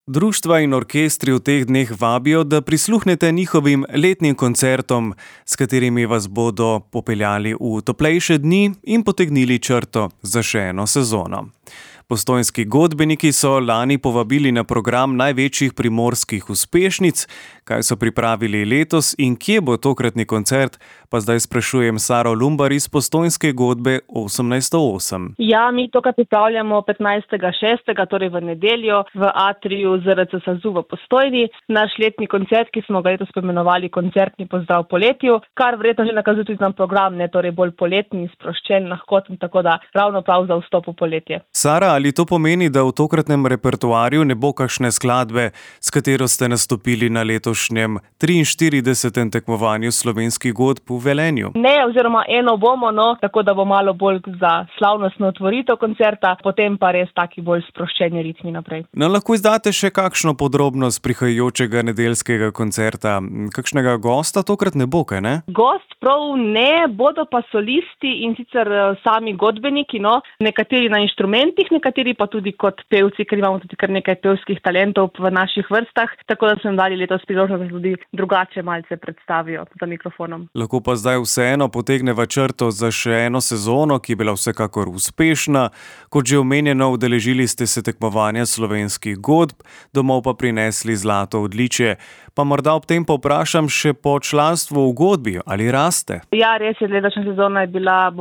Društva in orkestri v teh dneh vabijo, da prisluhnete njihovim letnim koncertom, s katerimi vas bodo popeljali v toplejše dni in potegnili črto za še eno sezono. Postojnski godbeniki so lani povabili na program največjih primorskih uspešnic. Kaj so pripravili letos in kje bo tokratni koncert, pa zdaj sprašujem Saro Lumbar iz Postojnske godbe 1808. Ja, mi to, kar pripravljamo 15.6., torej v nedeljo, v atriju ZRC SAZU v Postojni. Naš letni koncert, ki smo ga letos poimenovali Koncertni pozdrav poletju, kar verjetno že nakazuje tudi nam program, torej bolj poletni, sproščen, lahkoten, tako da ravno prav za vstop v poletje. Sara, ali to pomeni, da v tokratnem repertoarju ne bo kakšne skladbe, s katero ste nastopili na letošnjem 43. tekmovanju slovenskih godb v Velenju? Ne, oziroma eno bomo, tako da bo malo bolj za slavnostno otvoritev koncerta, potem pa res taki bolj sproščeni ritmi naprej. Lahko izdate še kakšno podrobnost prihajajočega nedeljskega koncerta? Kakšnega gosta tokrat ne bo, kaj ne? Gost prav ne, bodo pa solisti in sicer sami godbeniki, nekateri na inštrumentih, nekateri pa tudi kot pevci, ker imamo tudi kar nekaj pevskih talentov v naših vrstah, tako da smo dali letos priložnost, da tudi drugače malce predstavijo za mikrofonom. Lahko pa zdaj vseeno potegneva črto za še eno sezono, ki je bila vsekakor uspešna. Kot že omenjeno, udeležili ste se tekmovanja slovenskih godb, domov pa prinesli zlato odličje. Pa morda ob tem povprašam še po članstvu v godbi, ali raste? Ja, res je, letošnja sezona je bila,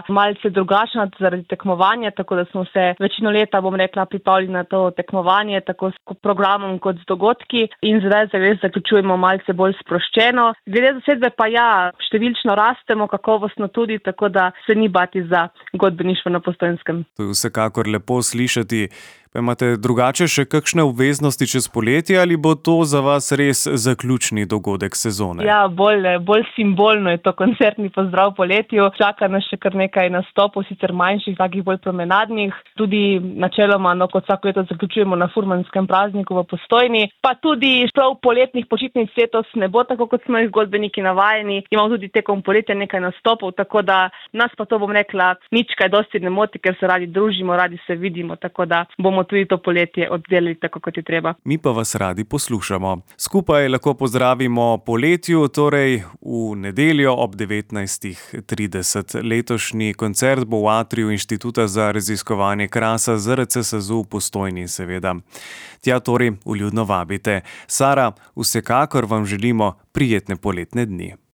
malce drugačna zaradi tekmovanja, tako da smo se večino leta, pripravili na to tekmovanje, tako s programom kot z dogodki in zdaj zaključujemo malce bolj sproščeno. Glede zasedbe pa ja, številčno rastemo, kakovostno tudi, tako da se ni bati za godbeništvo na Postojnskem. To je vsekakor lepo slišati. Pa imate drugače še kakšne obveznosti čez poletje ali bo to za vas res zaključni dogodek sezone? Ja, bolj simbolno je to koncertni pozdrav poletju. Čaka nas še kar nekaj nastopov, sicer manjših, takih bolj promenadnih. Tudi načeloma, kot vsako leto zaključujemo na furmanskem prazniku v Postojni. Pa tudi prav poletnih počitnic letos ne bo tako, kot smo jih godbeniki navajeni. Imamo tudi tekom poletja nekaj nastopov, tako da nas pa to nič kaj dosti ne moti, ker se radi družimo, radi se vidimo, tako da bomo tudi to poletje oddelali tako, kot je treba. Mi pa vas radi poslušamo. Skupaj lahko pozdravimo poletju, torej v nedeljo ob 19.30. Letošnji koncert bo v atriju Inštituta za raziskovanje krasa ZRC SAZU v Postojni, seveda. Tja torej vljudno vabite. Sara, vsekakor vam želimo prijetne poletne dni.